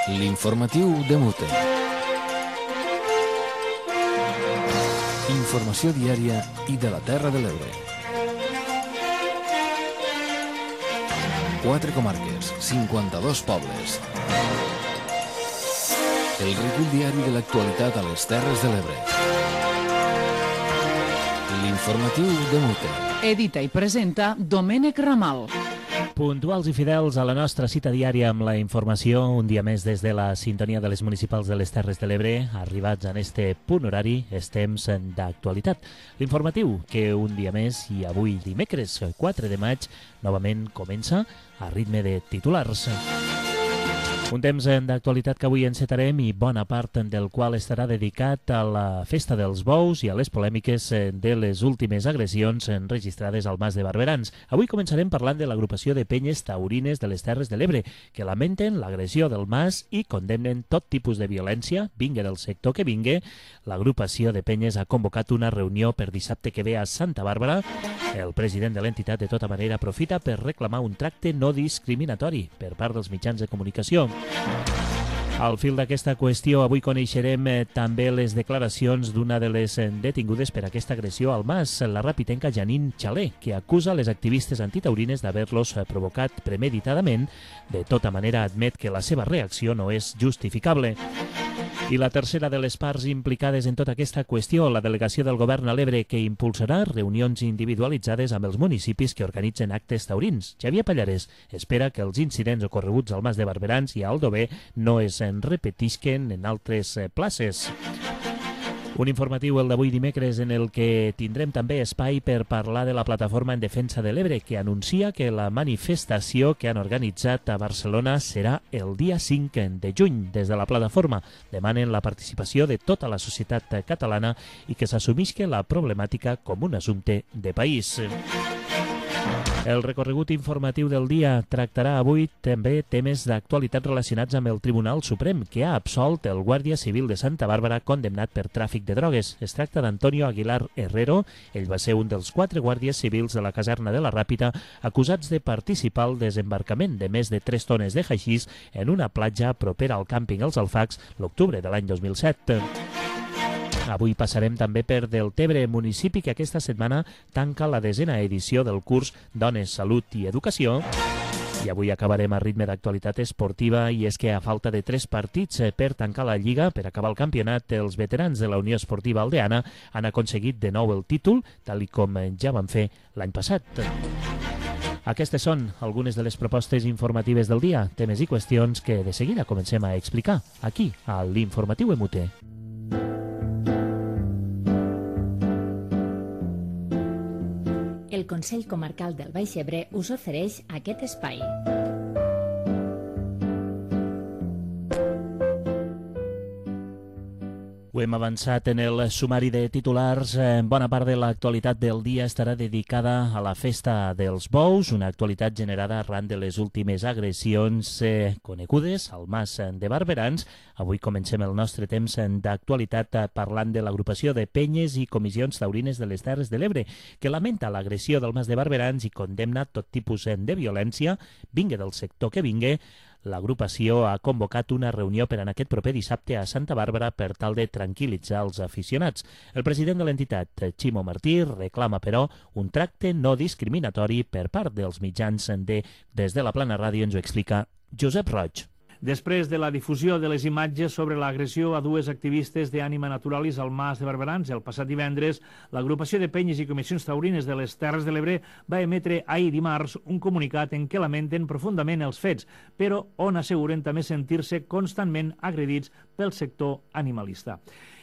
L'informatiu de Mute. Informació diària i de la Terra de l'Ebre. 4 comarques, 52 pobles. El recull diari de l'actualitat a les Terres de l'Ebre. L'informatiu de Mute. Edita i presenta Domènec Ramal. Puntuals i fidels a la nostra cita diària amb la informació, un dia més des de la sintonia de les municipals de les Terres de l'Ebre, arribats en este punt horari, és temps d'actualitat. L'informatiu que un dia més, i avui dimecres 4 de maig, novament comença a ritme de titulars. Un temps d'actualitat que avui encetarem i bona part del qual estarà dedicat a la festa dels bous i a les polèmiques de les últimes agressions registrades al Mas de Barberans. Avui començarem parlant de l'agrupació de penyes taurines de les Terres de l'Ebre, que lamenten l'agressió del Mas i condemnen tot tipus de violència, vingue del sector que vingue. L'agrupació de penyes ha convocat una reunió per dissabte que ve a Santa Bàrbara. El president de l'entitat de tota manera aprofita per reclamar un tracte no discriminatori per part dels mitjans de comunicació. Al fil d'aquesta qüestió, avui coneixerem també les declaracions d'una de les detingudes per aquesta agressió al Mas, la rapitenca Janine Xalé, que acusa les activistes antitaurines d'haver-los provocat premeditadament. De tota manera, admet que la seva reacció no és justificable. I la tercera de les parts implicades en tota aquesta qüestió, la delegació del govern a l'Ebre, que impulsarà reunions individualitzades amb els municipis que organitzen actes taurins. Xavier Pallares espera que els incidents ocorreguts al Mas de Barberans i a Aldover no es repetisquen en altres places. Un informatiu, el d'avui dimecres, en el que tindrem també espai per parlar de la plataforma en defensa de l'Ebre, que anuncia que la manifestació que han organitzat a Barcelona serà el dia 5 de juny. Des de la plataforma demanen la participació de tota la societat catalana i que s'assumisca la problemàtica com un assumpte de país. El recorregut informatiu del dia tractarà avui també temes d'actualitat relacionats amb el Tribunal Suprem, que ha absolt el guàrdia civil de Santa Bàrbara condemnat per tràfic de drogues. Es tracta d'Antonio Aguilar Herrero. Ell va ser un dels 4 guàrdies civils de la caserna de la Ràpita acusats de participar al desembarcament de més de 3 tones de haixís en una platja propera al càmping Els Alfacs l'octubre de l'any 2007. Avui passarem també per Deltebre, municipi que aquesta setmana tanca la 10a edició del curs Dones, Salut i Educació. I avui acabarem a ritme d'actualitat esportiva, i és que a falta de 3 partits per tancar la Lliga, per acabar el campionat, els veterans de la Unió Esportiva Aldeana han aconseguit de nou el títol, tal i com ja van fer l'any passat. Aquestes són algunes de les propostes informatives del dia, temes i qüestions que de seguida comencem a explicar aquí, a l'Informatiu Emute. El Consell Comarcal del Baix Ebre us ofereix aquest espai. Ho hem avançat en el sumari de titulars. Bona part de l'actualitat del dia estarà dedicada a la festa dels bous, una actualitat generada arran de les últimes agressions conegudes al Mas de Barberans. Avui comencem el nostre temps d'actualitat parlant de l'agrupació de penyes i comissions taurines de les Terres de l'Ebre, que lamenta l'agressió del Mas de Barberans i condemna tot tipus de violència, vingue del sector que vingue. L'agrupació ha convocat una reunió per en aquest proper dissabte a Santa Bàrbara per tal de tranquil·litzar els aficionats. El president de l'entitat, Ximo Martí, reclama, però, un tracte no discriminatori per part dels mitjans Des de la Plana Ràdio ens ho explica Josep Roig. Després de la difusió de les imatges sobre l'agressió a 2 activistes d'Ànima Naturalis al Mas de Barberans el passat divendres, l'agrupació de penyes i comissions taurines de les Terres de l'Ebre va emetre ahir dimarts un comunicat en què lamenten profundament els fets, però on asseguren també sentir-se constantment agredits pel sector animalista.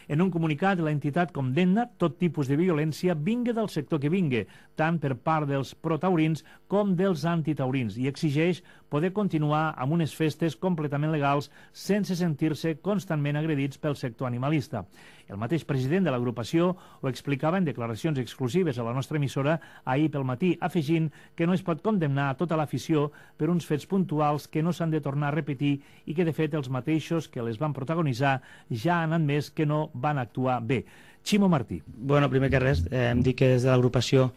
En un comunicat, l'entitat condemna tot tipus de violència vingue del sector que vingue, tant per part dels protaurins com dels antitaurins, i exigeix poder continuar amb unes festes completament legals sense sentir-se constantment agredits pel sector animalista. El mateix president de l'agrupació ho explicava en declaracions exclusives a la nostra emissora ahir pel matí, afegint que no es pot condemnar a tota l'afició per uns fets puntuals que no s'han de tornar a repetir i que, de fet, els mateixos que les van protagonitzar ja han admès que no van actuar bé. Ximo Martí. Bueno, primer que res, em dic que des de l'agrupació,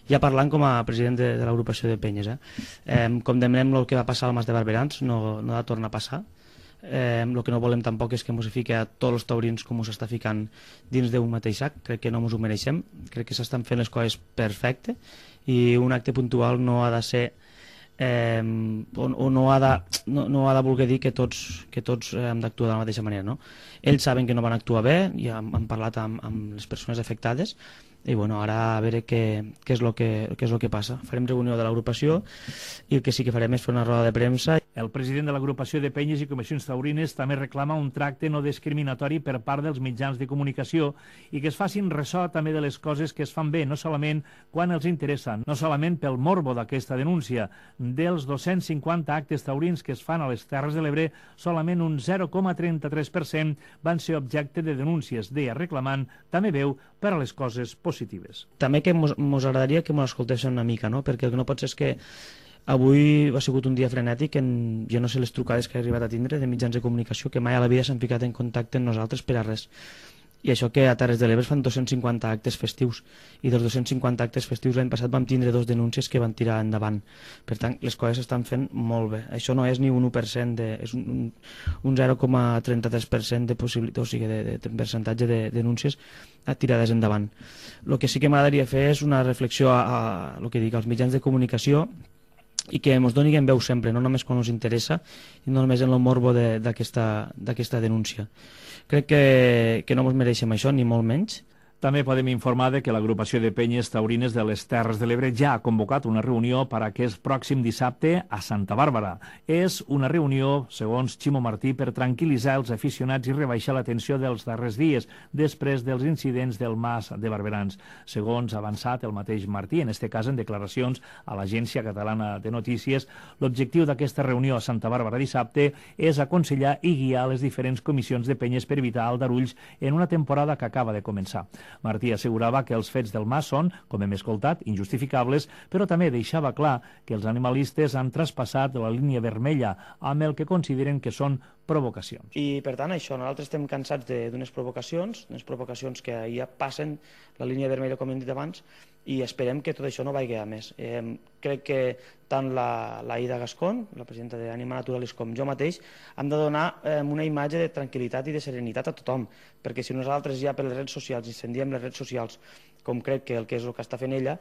ja parlant com a president de l'agrupació de penyes, condemnem el que va passar al Mas de Barberans, no ha de tornar a passar. El que no volem tampoc és que ens fiqui a tots els taurins com s'està ficant dins d'un mateix sac. Crec que no ens ho mereixem, crec que s'estan fent les coses perfecte i un acte puntual no ha de ser o no ha de voler dir que tots hem d'actuar de la mateixa manera, no? Ells saben que no van actuar bé i han parlat amb les persones afectades i bueno, ara a veure què és el que passa. Farem reunió de l'agrupació i el que sí que farem és fer una roda de premsa. El president de l'agrupació de penyes i comissions taurines també reclama un tracte no discriminatori per part dels mitjans de comunicació i que es facin ressò també de les coses que es fan bé, no solament quan els interessa, no solament pel morbo d'aquesta denúncia. Dels 250 actes taurins que es fan a les Terres de l'Ebre, solament un 0,33% van ser objecte de denúncies, deia reclamant també veu per a les coses positives. També que ens agradaria que ens escoltessin una mica, no? Perquè el que no pot ser és que avui ha sigut un dia frenètic, jo no sé les trucades que he arribat a tindre de mitjans de comunicació que mai a la vida s'han ficat en contacte amb nosaltres per a res. I això que a Terres de l'Ebre fan 250 actes festius i dels 250 actes festius l'any passat vam tindre 2 denúncies que van tirar endavant. Per tant, les coses s'estan fent molt bé. Això no és ni un 1%, és un 0,33% de possibilitat, o sigui, de percentatge de denúncies tirades endavant. El que sí que m'agradaria fer és una reflexió als mitjans de comunicació i que ens donin veu sempre, no només quan ens interessa i no només en el morbo d'aquesta denúncia. Crec que no ens mereixem això, ni molt menys. També podem informar que l'agrupació de penyes taurines de les Terres de l'Ebre ja ha convocat una reunió per a aquest pròxim dissabte a Santa Bàrbara. És una reunió, segons Ximo Martí, per tranquil·litzar els aficionats i rebaixar la tensió dels darrers dies, després dels incidents del Mas de Barberans. Segons ha avançat el mateix Martí, en aquest cas en declaracions a l'Agència Catalana de Notícies, l'objectiu d'aquesta reunió a Santa Bàrbara dissabte és aconsellar i guiar les diferents comissions de penyes per evitar aldarulls en una temporada que acaba de començar. Martí assegurava que els fets del Mas són, com hem escoltat, injustificables, però també deixava clar que els animalistes han traspassat la línia vermella amb el que consideren que són provocacions. I per tant això, nosaltres estem cansats d'unes provocacions que ja passen la línia vermella, com hem dit abans, i esperem que tot això no vagi a més. Crec que tant l'Aida Gascón, la presidenta d'Anima Naturalis, com jo mateix, hem de donar una imatge de tranquil·litat i de serenitat a tothom, perquè si nosaltres ja per les redes socials incendiem les redes socials, com crec que és el que està fent ella,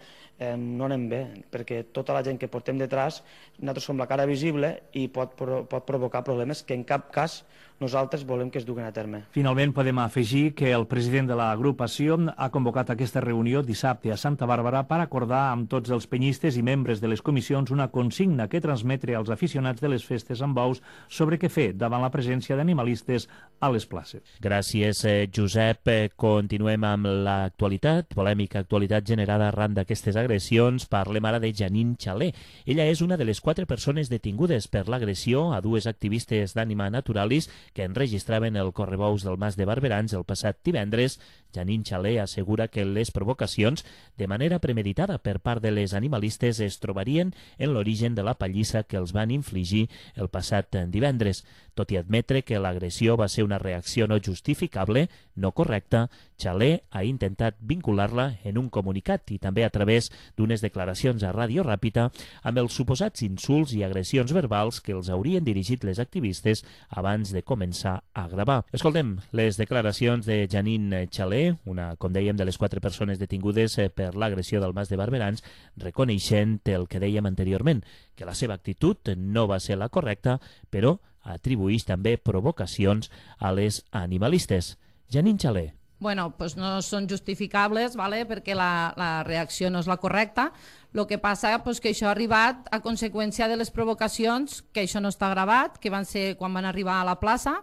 no anem bé, perquè tota la gent que portem detrás, nosaltres som la cara visible i pot provocar problemes que en cap cas nosaltres volem que es duguin a terme. Finalment podem afegir que el president de l'agrupació ha convocat aquesta reunió dissabte a Santa Bàrbara per acordar amb tots els penyistes i membres de les comissions una consigna que transmetre als aficionats de les festes amb bous sobre què fer davant la presència d'animalistes a les places. Gràcies, Josep. Continuem amb l'actualitat, polèmica actualitat generada arran d'aquestes agressions. Parlem ara de Janine Chalé. Ella és una de les 4 persones detingudes per l'agressió a 2 activistes d'Anima Naturalis que enregistraven el correbous del Mas de Barberans el passat divendres. Janine Chalé assegura que les provocacions, de manera premeditada per part de les animalistes, es trobarien en l'origen de la pallissa que els van infligir el passat divendres. Tot i admetre que l'agressió va ser una reacció no justificable, no correcta, Chalé ha intentat vincular-la en un comunicat i també a través d'unes declaracions a Ràdio Ràpita amb els suposats insults i agressions verbals que els haurien dirigit les activistes abans de començar a gravar. Escoltem les declaracions de Janine Chalé, una, com dèiem, de les 4 persones detingudes per l'agressió del Mas de Barberans, reconeixent el que dèiem anteriorment, que la seva actitud no va ser la correcta, però atribueix també provocacions a les animalistes. Janine Chalé. Bueno, pues no són justificables, ¿vale? Perquè la reacció no és la correcta. El que passa és que això ha arribat a conseqüència de les provocacions, que això no està gravat, que van ser quan van arribar a la plaça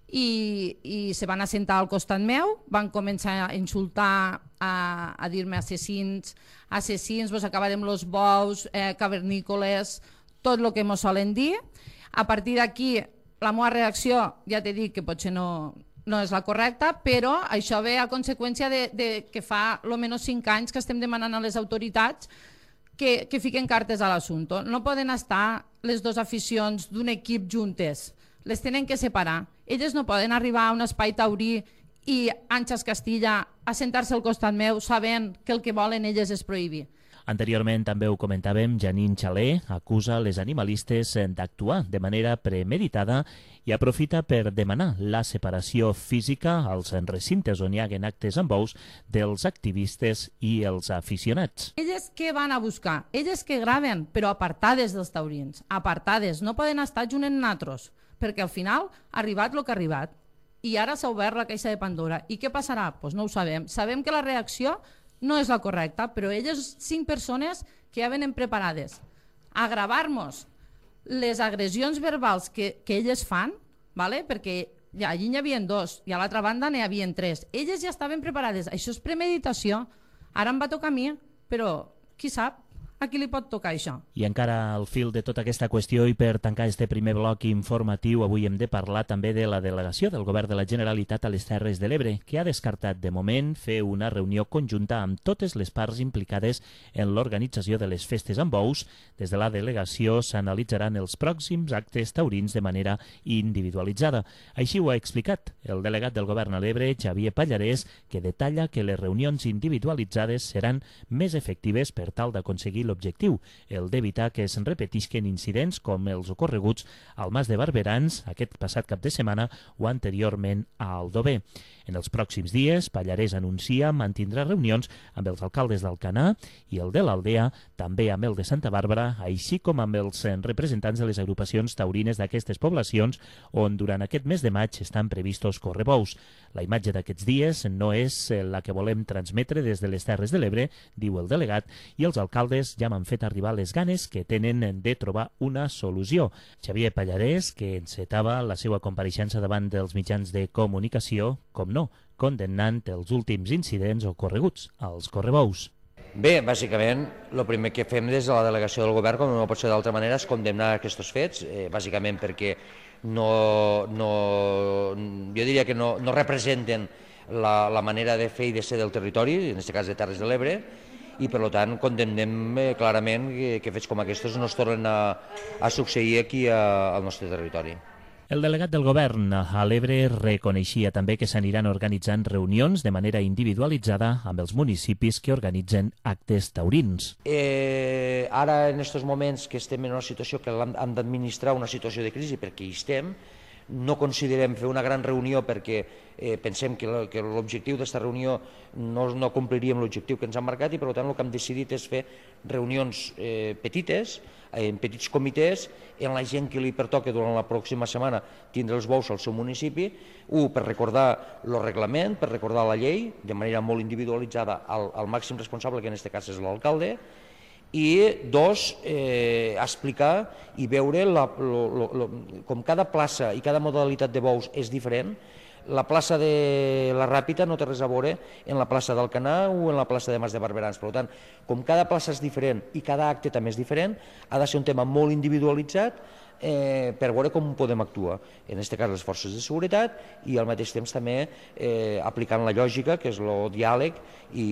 i se van assentar al costat meu, van començar a insultar, a dir-me assassins, vos acabarem los bous, cavernícoles, tot el que mos solen dir. A partir d'aquí, la meva reacció, ja t'he dit que potser no és la correcta, però això ve a conseqüència de que fa almenys 5 anys que estem demanant a les autoritats que fiquen cartes a l'assumpte. No poden estar les 2 aficions d'un equip juntes, les tenen que separar. Elles no poden arribar a un espai taurí i Àngels Castilla a sentar-se al costat meu sabent que el que volen elles és prohibir. Anteriorment també ho comentàvem, Janine Xalé acusa les animalistes d'actuar de manera premeditada i aprofita per demanar la separació física als recintes on hi haguen actes amb bous dels activistes i els aficionats. Elles què van a buscar? Elles que graven, però apartades dels taurins, apartades, no poden estar junt amb natros, perquè al final ha arribat el que ha arribat. I ara s'ha obert la caixa de Pandora. I què passarà? Doncs no ho sabem. Sabem que la reacció no és la correcta, però elles, 5 persones que ja venen preparades a gravar-nos les agressions verbals que elles fan, ¿vale? Perquè allí n'hi havia 2 i a l'altra banda n'hi havia 3. Elles ja estaven preparades. Això és premeditació. Ara em va tocar a mi, però qui sap? A qui li pot tocar això? I encara al fil de tota aquesta qüestió i per tancar este primer bloc informatiu, avui hem de parlar també de la delegació del Govern de la Generalitat a les Terres de l'Ebre, que ha descartat de moment fer una reunió conjunta amb totes les parts implicades en l'organització de les festes amb bous. Des de la delegació s'analitzaran els pròxims actes taurins de manera individualitzada. Així ho ha explicat el delegat del Govern a l'Ebre, Xavier Pallarès, que detalla que les reunions individualitzades seran més efectives per tal d'aconseguir l'objectiu, el d'evitar que es repetisquen incidents com els ocorreguts al Mas de Barberans aquest passat cap de setmana o anteriorment a Aldover. En els pròxims dies, Pallarès anuncia mantindrà reunions amb els alcaldes d'Alcanar i el de l'Aldea, també amb el de Santa Bàrbara, així com amb els representants de les agrupacions taurines d'aquestes poblacions, on durant aquest mes de maig estan previstos correbous. La imatge d'aquests dies no és la que volem transmetre des de les Terres de l'Ebre, diu el delegat, i els alcaldes ja m'han fet arribar les ganes que tenen de trobar una solució. Xavier Pallarès, que encetava la seva compareixença davant dels mitjans de comunicació, com no, condemnant els últims incidents ocorreguts als correbous. Bé, bàsicament, el primer que fem des de la delegació del govern, com no pot ser d'altra manera, és condemnar aquests fets, bàsicament perquè jo diria que no representen la manera de fer i de ser del territori, en aquest cas de Terres de l'Ebre, i per tant condemnem clarament que fets com aquests no es tornen a succeir aquí al nostre territori. El delegat del govern a l'Ebre reconeixia també que s'aniran organitzant reunions de manera individualitzada amb els municipis que organitzen actes taurins. Ara, en aquests moments que estem en una situació que hem d'administrar una situació de crisi, perquè hi estem, no considerem fer una gran reunió perquè pensem que l'objectiu d'aquesta reunió no compliríem l'objectiu que ens han marcat i per tant el que hem decidit és fer reunions petites, en petits comitès, en la gent que li pertoca durant la pròxima setmana tindre els bous al seu municipi, per recordar el reglament, per recordar la llei, de manera molt individualitzada al màxim responsable, que en aquest cas és l'alcalde, i 2, explicar i veure com cada plaça i cada modalitat de bous és diferent. La plaça de la Ràpita no té res a veure en la plaça d'Alcanar o en la plaça de Mas de Barberans. Per tant, com cada plaça és diferent i cada acte també és diferent, ha de ser un tema molt individualitzat per veure com podem actuar. En aquest cas les forces de seguretat i al mateix temps també aplicant la lògica, que és el diàleg i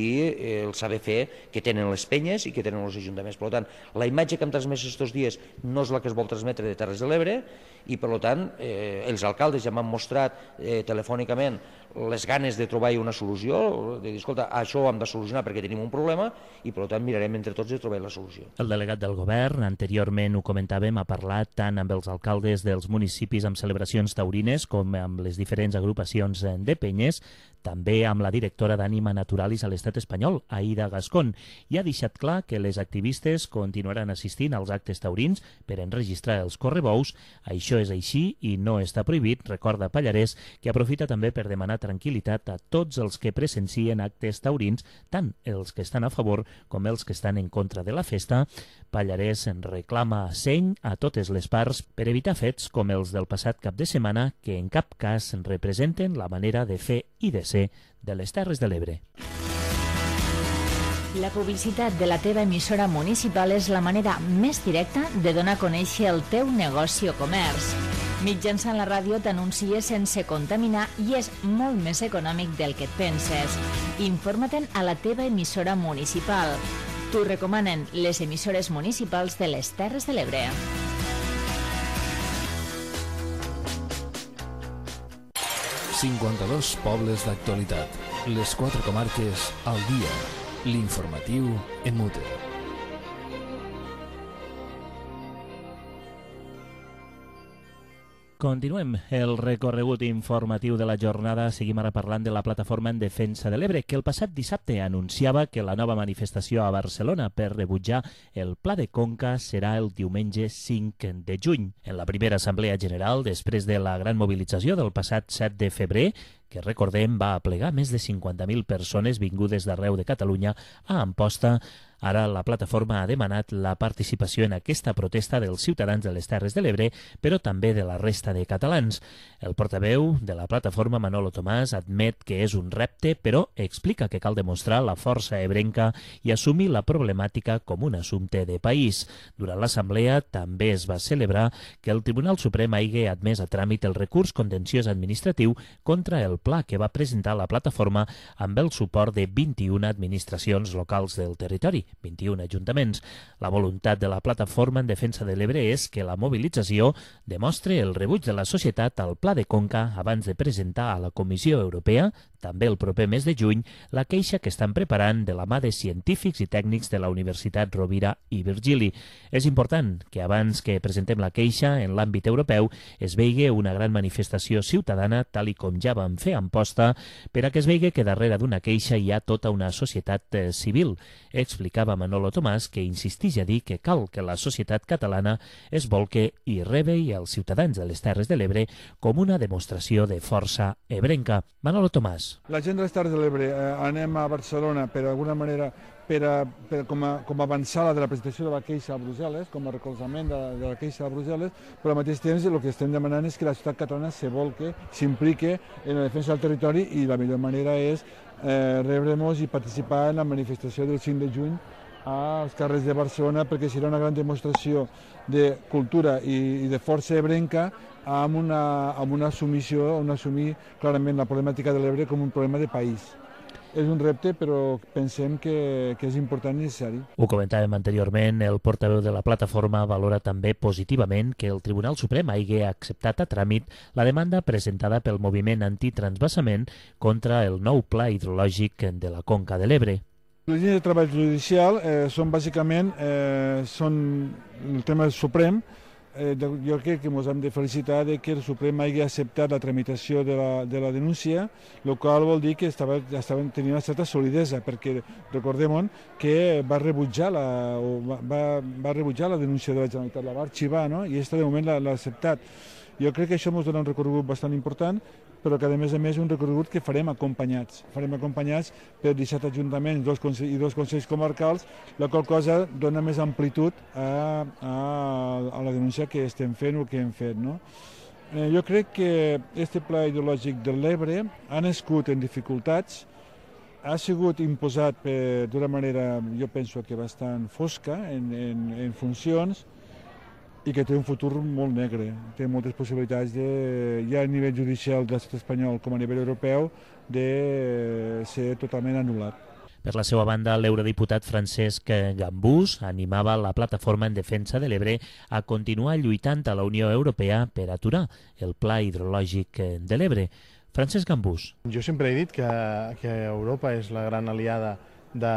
el saber fer que tenen les penyes i que tenen els ajuntaments. Per tant, la imatge que hem transmès aquests dies no és la que es vol transmetre de Terres de l'Ebre i per tant els alcaldes ja m'han mostrat telefònicament les ganes de trobar una solució, de dir, escolta, això ho hem de solucionar perquè tenim un problema i per tant mirarem entre tots de trobar la solució. El delegat del govern, anteriorment ho comentàvem, ha parlat tant amb els alcaldes dels municipis amb celebracions taurines com amb les diferents agrupacions de penyes, també amb la directora d'Ànima Naturalis a l'estat espanyol, Aida Gascón, i ha deixat clar que les activistes continuaran assistint als actes taurins per enregistrar els correbous. Això és així i no està prohibit, recorda Pallarès, que aprofita també per demanar tranquil·litat a tots els que presencien actes taurins, tant els que estan a favor com els que estan en contra de la festa. Pallarès reclama seny a totes les parts per evitar fets com els del passat cap de setmana que en cap cas representen la manera de fer i de ser de les Terres de l'Ebre. La publicitat de la teva emissora municipal és la manera més directa de donar a conèixer el teu negoci o comerç. Mitjançant la ràdio t'anuncies sense contaminar i és molt més econòmic del que et penses. Informa-te'n a la teva emissora municipal. T'ho recomanen les emissores municipals de les Terres de l'Ebre. ...52 pobles d'actualitat. Les 4 comarques al dia. L'informatiu en Mute. Continuem el recorregut informatiu de la jornada. Seguim ara parlant de la Plataforma en Defensa de l'Ebre, que el passat dissabte anunciava que la nova manifestació a Barcelona per rebutjar el Pla de Conca serà el diumenge 5 de juny. En la primera assemblea general, després de la gran mobilització del passat 7 de febrer, que recordem va aplegar més de 50.000 persones vingudes d'arreu de Catalunya a Amposta, ara la plataforma ha demanat la participació en aquesta protesta dels ciutadans de les Terres de l'Ebre, però també de la resta de catalans. El portaveu de la plataforma, Manolo Tomàs, admet que és un repte, però explica que cal demostrar la força ebrenca i assumir la problemàtica com un assumpte de país. Durant l'assemblea també es va celebrar que el Tribunal Suprem hagi admès a tràmit el recurs contenciós administratiu contra el pla que va presentar la plataforma amb el suport de 21 administracions locals del territori, 21 ajuntaments. La voluntat de la plataforma en defensa de l'Ebre és que la mobilització demostre el rebuig de la societat al Pla de Conca abans de presentar a la Comissió Europea, també el proper mes de juny, la queixa que estan preparant de la mà de científics i tècnics de la Universitat Rovira i Virgili. És important que abans que presentem la queixa en l'àmbit europeu es vegi una gran manifestació ciutadana, tal i com ja vam fer a Amposta, per a que es vegi que darrere d'una queixa hi ha tota una societat civil. Explicava Manolo Tomàs, que insisteix a dir que cal que la societat catalana es volque i rebi els ciutadans de les Terres de l'Ebre com una demostració de força ebrenca. Manolo Tomàs. La gent de les Terres de l'Ebre anem a Barcelona per d'alguna manera com a avançada de la presentació de la queixa a Brussel·les, com a recolzament de la queixa a Brussel·les, però al mateix temps el que estem demanant és que la societat catalana se volque, s'implique en la defensa del territori i la millor manera és rebre'ns i participar en la manifestació del 5 de juny als carrers de Barcelona, perquè serà una gran demostració de cultura i de força ebrenca amb una assumició, assumir clarament la problemàtica de l'Ebre com un problema de país. És un repte, però pensem que és important i necessari. Ho comentàvem anteriorment, el portaveu de la plataforma valora també positivament que el Tribunal Suprem hagi acceptat a tràmit la demanda presentada pel moviment antitransvasament contra el nou pla hidrològic de la Conca de l'Ebre. Les línies de treball judicial són bàsicament el tema del Suprem. Jo crec que ens hem de felicitar que el Suprem hagi acceptat la tramitació de la denúncia, el qual vol dir que estaven tenint una certa solidesa, perquè recordem que va rebutjar la denúncia de la Generalitat, la va arxivar, no? I aquesta de moment l'ha acceptat. Jo crec que això ens dona un recorregut bastant important, però que a més és un recorregut que farem acompanyats. Farem acompanyats per 17 ajuntaments i dos consells comarcals, la qual cosa dona més amplitud a la denúncia que estem fent o que hem fet. No? Jo crec que aquest pla hidrològic de l'Ebre ha nascut en dificultats, ha sigut imposat d'una manera, jo penso que bastant fosca, en funcions, i que té un futur molt negre. Té moltes possibilitats, ja a nivell judicial de l'estat espanyol com a nivell europeu, de ser totalment anul·lat. Per la seva banda, l'eurodiputat Francesc Gambús animava la plataforma en defensa de l'Ebre a continuar lluitant a la Unió Europea per aturar el pla hidrològic de l'Ebre. Francesc Gambús. Jo sempre he dit que Europa és la gran aliada de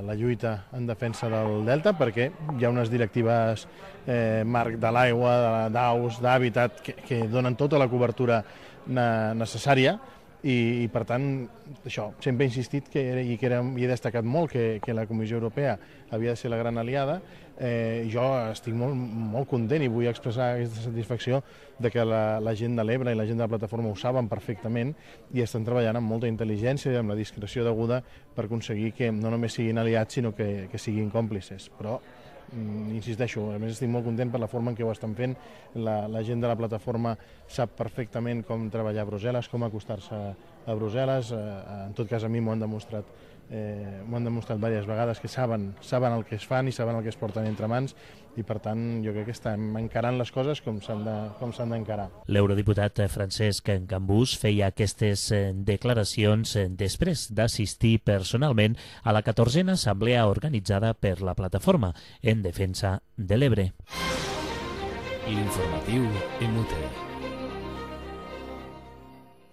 la lluita en defensa del Delta, perquè hi ha unes directives marc de l'aigua, d'aus, d'hàbitat, que donen tota la cobertura necessària i per tant, això, sempre he insistit i he destacat molt que la Comissió Europea havia de ser la gran aliada. Jo estic molt content i vull expressar aquesta satisfacció de que la gent de l'Ebre i la gent de la plataforma ho saben perfectament i estan treballant amb molta intel·ligència i amb la discreció deguda per aconseguir que no només siguin aliats sinó que siguin còmplices. Però insisteixo, a més estic molt content per la forma en què ho estan fent. La gent de la plataforma sap perfectament com treballar a Brussel·les, com acostar-se a Brussel·les. En tot cas, a mi m'ho han demostrat diverses vegades, que saben el que es fan i saben el que es porten entre mans i, per tant, jo crec que estem encarant les coses com s'han d'encarar. L'eurodiputat Francesc Gambús feia aquestes declaracions després d'assistir personalment a la 14a assemblea organitzada per la plataforma en defensa de l'Ebre. L'informatiu en Muter.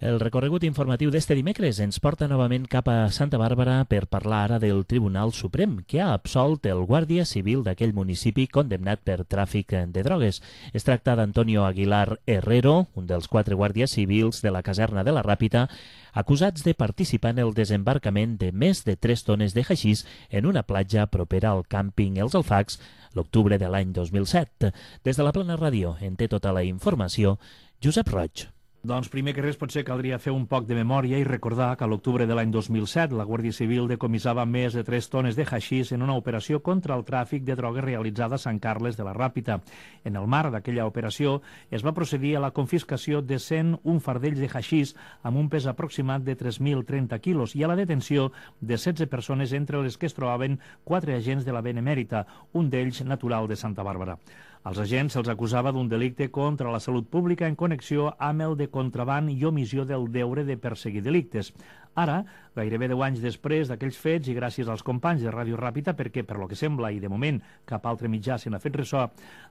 El recorregut informatiu d'este dimecres ens porta novament cap a Santa Bàrbara per parlar ara del Tribunal Suprem, que ha absolt el guàrdia civil d'aquell municipi condemnat per tràfic de drogues. Es tracta d'Antonio Aguilar Herrero, un dels 4 guàrdies civils de la caserna de la Ràpita, acusats de participar en el desembarcament de més de 3 tones de haixís en una platja propera al càmping Els Alfacs l'octubre de l'any 2007. Des de la Plana Ràdio en té tota la informació Josep Roig. Doncs primer que res potser caldria fer un poc de memòria i recordar que a l'octubre de l'any 2007 la Guàrdia Civil decomissava més de 3 tones de haixís en una operació contra el tràfic de drogues realitzada a Sant Carles de la Ràpita. En el marc d'aquella operació es va procedir a la confiscació de 101 fardells de haixís amb un pes aproximat de 3.030 quilos i a la detenció de 16 persones entre les que es trobaven 4 agents de la Benemèrita, un d'ells natural de Santa Bàrbara. Als agents se'ls acusava d'un delicte contra la salut pública en connexió amb el de contraban i omissió del deure de perseguir delictes. Ara, gairebé 10 anys després d'aquells fets i gràcies als companys de Ràdio Ràpita, perquè, per lo que sembla, i de moment cap altre mitjà se n'ha fet ressò,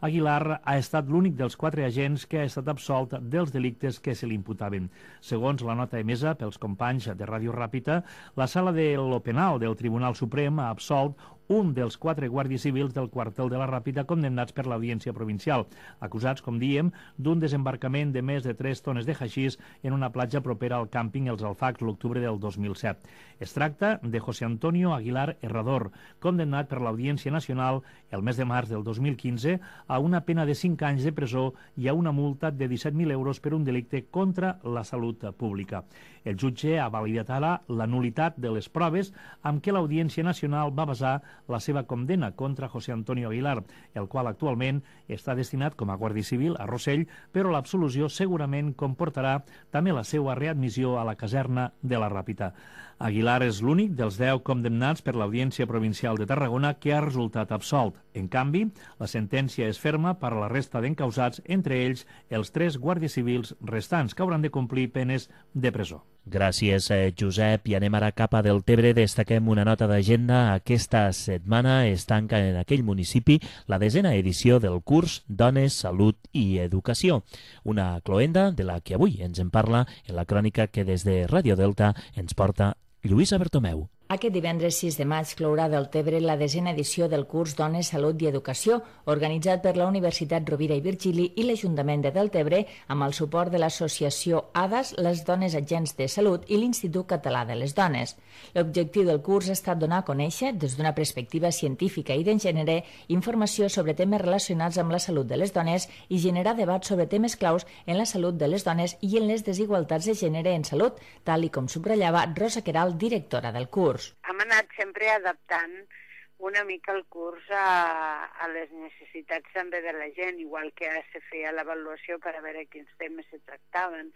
Aguilar ha estat l'únic dels 4 agents que ha estat absolt dels delictes que se li imputaven. Segons la nota emesa pels companys de Ràdio Ràpita, la sala de lo penal del Tribunal Suprem ha absolt un dels 4 guàrdies civils del quartel de la Ràpita condemnats per l'Audiència Provincial, acusats, com diem, d'un desembarcament de més de 3 tones de haixís en una platja propera al càmping Els Alfacs l'octubre del 2007. Es tracta de José Antonio Aguilar Herrador, condemnat per l'Audiència Nacional el mes de març del 2015 a una pena de 5 anys de presó i a una multa de 17.000 euros per un delicte contra la salut pública. El jutge ha validat ara la nul·litat de les proves amb què l'Audiència Nacional va basar la seva condemna contra José Antonio Aguilar, el qual actualment està destinat com a guàrdia civil a Rossell, però l'absolució segurament comportarà també la seva readmissió a la caserna de la Ràpita. Aguilar és l'únic dels 10 condemnats per l'Audiència Provincial de Tarragona que ha resultat absolt. En canvi, la sentència és ferma per a la resta d'encausats, entre ells els 3 guàrdies civils restants que hauran de complir penes de presó. Gràcies, Josep. I anem ara cap a Deltebre. Destaquem una nota d'agenda. Aquesta setmana es tanca en aquell municipi la 10ª edició del curs Dones, Salut i Educació. Una cloenda de la que avui ens en parla en la crònica que des de Ràdio Delta ens porta Lluïsa Bertomeu. Aquest divendres 6 de maig clourà a Deltebre la 10ª edició del curs Dones, Salut i Educació, organitzat per la Universitat Rovira i Virgili i l'Ajuntament de Deltebre, amb el suport de l'associació ADAS, les Dones Agents de Salut i l'Institut Català de les Dones. L'objectiu del curs ha estat donar a conèixer, des d'una perspectiva científica i de gènere, informació sobre temes relacionats amb la salut de les dones i generar debat sobre temes claus en la salut de les dones i en les desigualtats de gènere en salut, tal i com subratllava Rosa Queralt, directora del curs. Hem anat sempre adaptant una mica el curs a les necessitats també de la gent, igual que se feia l'avaluació per a veure quins temes se tractaven,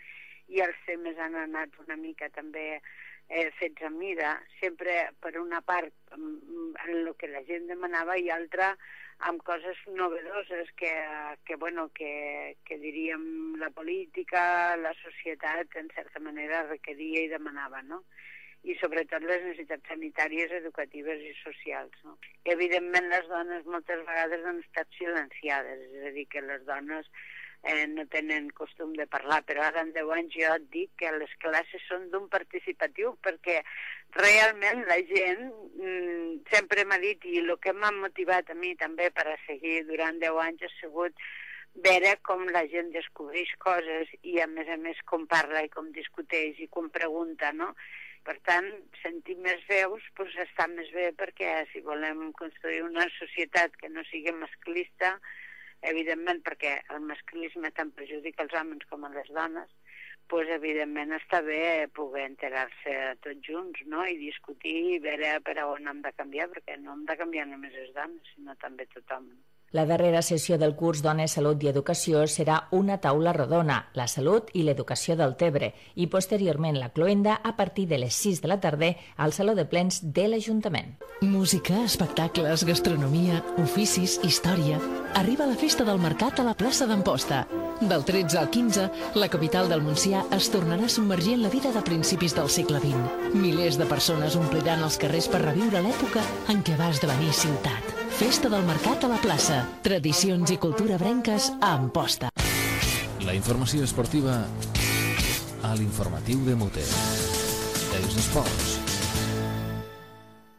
i els temes han anat una mica també fets a mida, sempre per una part en el que la gent demanava i altra amb coses novedoses que diríem la política, la societat en certa manera requeria i demanava, no? I sobretot les necessitats sanitàries, educatives i socials. No? Evidentment, les dones moltes vegades han estat silenciades, és a dir, que les dones no tenen costum de parlar, però ara en 10 anys jo et dic que les classes són d'un participatiu, perquè realment la gent sempre m'ha dit, i el que m'ha motivat a mi també per a seguir durant 10 anys ha sigut veure com la gent descobreix coses i a més com parla i com discuteix i com pregunta, no? Per tant, sentir més veus està més bé, perquè si volem construir una societat que no sigui masclista, evidentment perquè el masclisme tant perjudica els homes com a les dones, evidentment està bé poder enterar-se tots junts, no? I discutir i veure per on hem de canviar, perquè no hem de canviar només les dones, sinó també tothom. La darrera sessió del curs Dones, Salut i Educació serà una taula rodona, la salut i l'educació del Tebre, i posteriorment la cloenda a partir de les 6 de la tarda al Saló de Plens de l'Ajuntament. Música, espectacles, gastronomia, oficis, història. Arriba la festa del mercat a la plaça d'Amposta. Del 13 al 15, la capital del Montsià es tornarà a submergir en la vida de principis del segle XX. Milers de persones ompliran els carrers per reviure l'època en què va esdevenir ciutat. Festa del mercat a la plaça. Tradicions i cultura brenques a Amposta. La informació esportiva a l'informatiu de Mute. Els esports.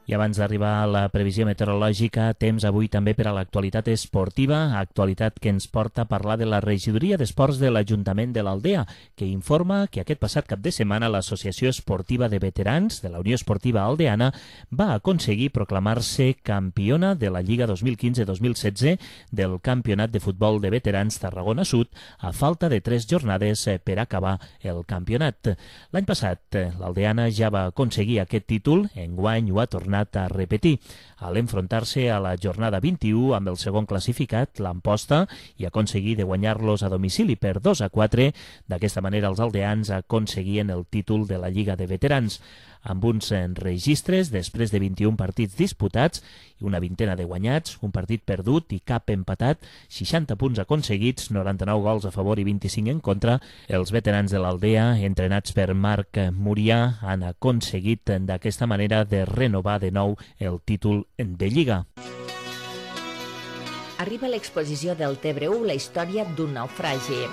I abans d'arribar a la previsió meteorològica, temps avui també per a l'actualitat esportiva, actualitat que ens porta a parlar de la regidoria d'esports de l'Ajuntament de l'Aldea, que informa que aquest passat cap de setmana l'Associació Esportiva de Veterans de la Unió Esportiva Aldeana va aconseguir proclamar-se campiona de la Lliga 2015-2016 del Campionat de Futbol de Veterans Tarragona Sud, a falta de 3 jornades per acabar el campionat. L'any passat, l'Aldeana ja va aconseguir aquest títol, enguany ho ha tornat a repetir, al enfrontar-se a la jornada 21 amb el segon classificat, l'Amposta, i aconseguir de guanyar-los a domicili per 2-4. D'aquesta manera els aldeans aconseguien el títol de la Lliga de Veterans. Amb uns registres, després de 21 partits disputats i una vintena de guanyats, un partit perdut i cap empatat, 60 punts aconseguits, 99 gols a favor i 25 en contra, els veterans de l'Aldea, entrenats per Marc Murià, han aconseguit d'aquesta manera de renovar de nou el títol de Lliga. Arriba l'exposició del Tebre 1, la història d'un naufragi.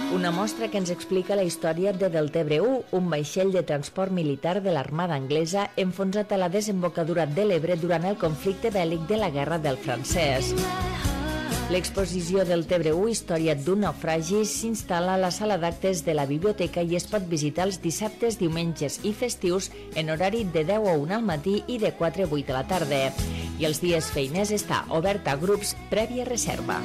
Una mostra que ens explica la història de Deltebre 1, un vaixell de transport militar de l'Armada anglesa enfonsat a la desembocadura de l'Ebre durant el conflicte bèl·lic de la Guerra del Francès. L'exposició del Tebre 1, història d'un naufragi, s'instal·la a la sala d'actes de la biblioteca i es pot visitar els dissabtes, diumenges i festius en horari de 10 a 1 al matí i de 4 a 8 a la tarda. I els dies feiners està obert a grups prèvia reserva.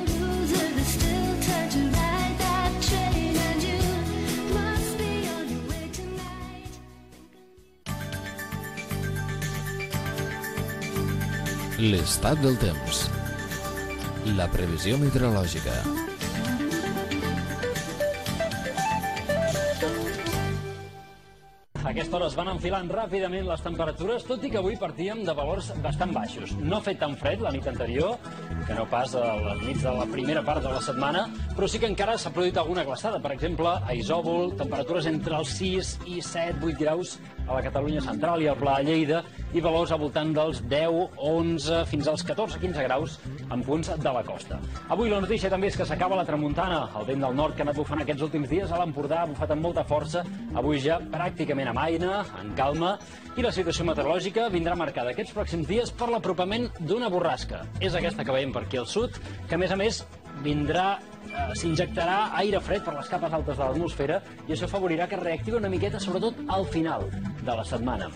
L'estat del temps. La previsió meteorològica. A aquesta hora es van enfilant ràpidament les temperatures, tot i que avui partíem de valors bastant baixos. No ha fet tan fred la nit anterior, que no pas a les nits de la primera part de la setmana, però sí que encara s'ha produït alguna glaçada. Per exemple, a Isòvol, temperatures entre els 6 i 7, 8 graus a la Catalunya central i al Pla de Lleida, i valors al voltant dels 10, 11, fins als 14, 15 graus en punts de la costa. Avui la notícia també és que s'acaba la tramuntana. El vent del nord que ha anat bufant aquests últims dies a l'Empordà ha bufat amb molta força, avui ja pràcticament amb aire, en calma, i la situació meteorològica vindrà marcada aquests pròxims dies per l'apropament d'una borrasca. És aquesta que veiem per aquí al sud, que a més s'injectarà aire fred per les capes altes de l'atmosfera i això afavorirà que reactivi una miqueta, sobretot al final de la setmana.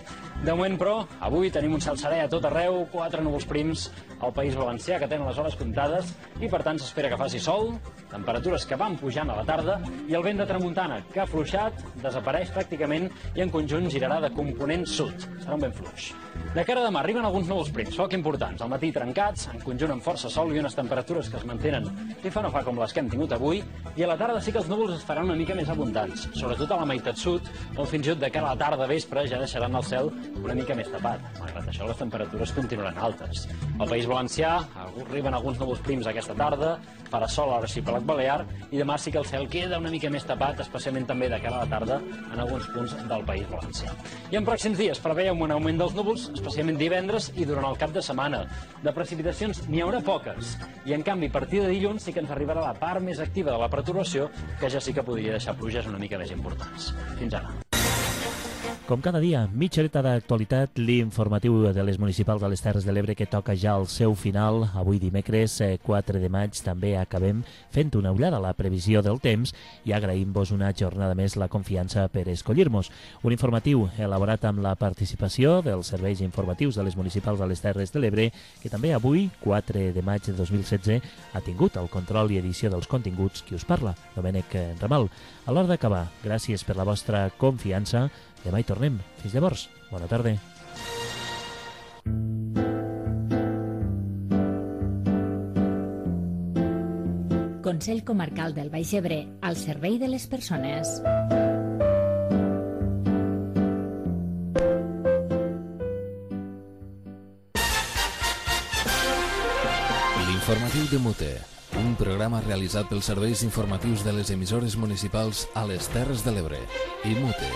De moment, però, avui tenim un cel serè a tot arreu, 4 núvols prims al País Valencià que tenen les hores comptades i, per tant, s'espera que faci sol, temperatures que van pujant a la tarda i el vent de tramuntana, que ha afluixat, desapareix pràcticament i en conjunt girarà de component sud. Serà un vent fluix. De cara a demà arriben alguns núvols prims, poc importants, al matí trencats, en conjunt amb força sol i unes temperatures que es mantenen i fa no fa com les que hem tingut avui, i a la tarda sí que els núvols es faran una mica més abundants, sobretot a la meitat sud, on fins i tot de cara a la tarda vespre ja deixaran el cel una mica més tapat. Malgrat això, les temperatures continuaran altes. Al País Valencià arriben alguns núvols prims aquesta tarda, farà sol a l'arxipèlag balear, i demà sí que el cel queda una mica més tapat, especialment també de cara a la tarda en alguns punts del País Valencià. I en pròxims dies preveiem un augment dels núvols, especialment divendres i durant el cap de setmana. De precipitacions n'hi haurà poques, i en canvi a partir de dilluns sí que ens arribarà la part més activa de la pertorbació, que ja sí que podria deixar pluges una mica més importants. Fins ara. Com cada dia, mitja horeta d'actualitat, l'informatiu de les municipals de les Terres de l'Ebre que toca ja al seu final. Avui dimecres 4 de maig també acabem fent una ullada a la previsió del temps i agraïm-vos una jornada més la confiança per escollir-nos. Un informatiu elaborat amb la participació dels serveis informatius de les municipals de les Terres de l'Ebre, que també avui, 4 de maig de 2016, ha tingut el control i edició dels continguts qui us parla, Domènec Ramal. A l'hora d'acabar, gràcies per la vostra confiança. Demà hi tornem. Fins llavors. Bona tarda. Consell Comarcal del Baix Ebre, al servei de les persones. L'informatiu de Mute, un programa realitzat pels serveis informatius de les emissores municipals a les Terres de l'Ebre i Mute.